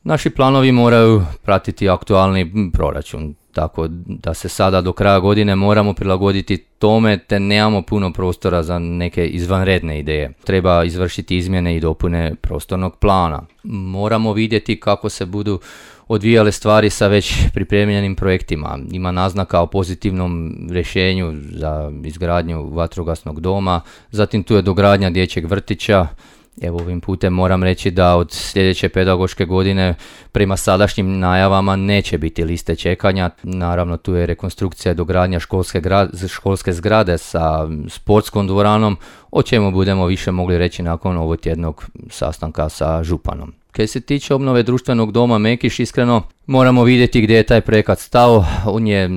Naši planovi moraju pratiti aktualni proračun, tako da se sada do kraja godine moramo prilagoditi tome te nemamo puno prostora za neke izvanredne ideje. Treba izvršiti izmjene i dopune prostornog plana. Moramo vidjeti kako se budu odvijale stvari sa već pripremljenim projektima. Ima naznaka o pozitivnom rješenju za izgradnju vatrogasnog doma, zatim tu je dogradnja dječjeg vrtića. Evo, ovim putem moram reći da od sljedeće pedagoške godine prema sadašnjim najavama neće biti liste čekanja. Naravno, tu je rekonstrukcija i dogradnja školske zgrade sa sportskom dvoranom, o čemu budemo više mogli reći nakon ovotjednog sastanka sa županom. Kad se tiče obnove društvenog doma Mekiš, iskreno moramo vidjeti gdje je taj projekat stao. On je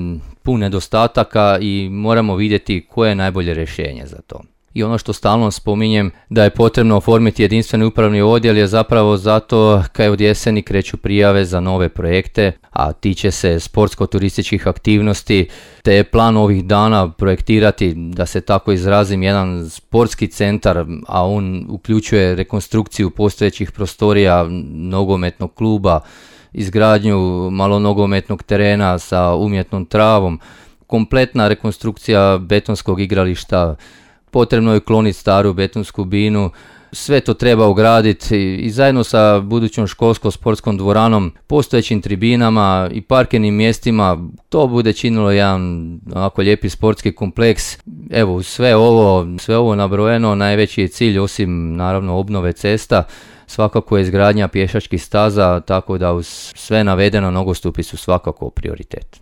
pun nedostataka i moramo vidjeti koje je najbolje rješenje za to. I ono što stalno spominjem da je potrebno oformiti jedinstveni upravni odjel je zapravo zato kad od jeseni kreću prijave za nove projekte, a tiče se sportsko-turističkih aktivnosti, te je plan ovih dana projektirati, da se tako izrazim, jedan sportski centar, a on uključuje rekonstrukciju postojećih prostorija nogometnog kluba, izgradnju malonogometnog terena sa umjetnom travom, kompletna rekonstrukcija betonskog igrališta. Potrebno je kloniti staru betonsku binu, sve to treba ugraditi i zajedno sa budućom školsko-sportskom dvoranom, postojećim tribinama i parkirnim mjestima, to bude činilo jedan ovako lijepi sportski kompleks. Evo, sve ovo nabrojeno, najveći je cilj, osim naravno obnove cesta, svakako je izgradnja pješačkih staza, tako da uz sve navedeno nogostupi su svakako prioritet.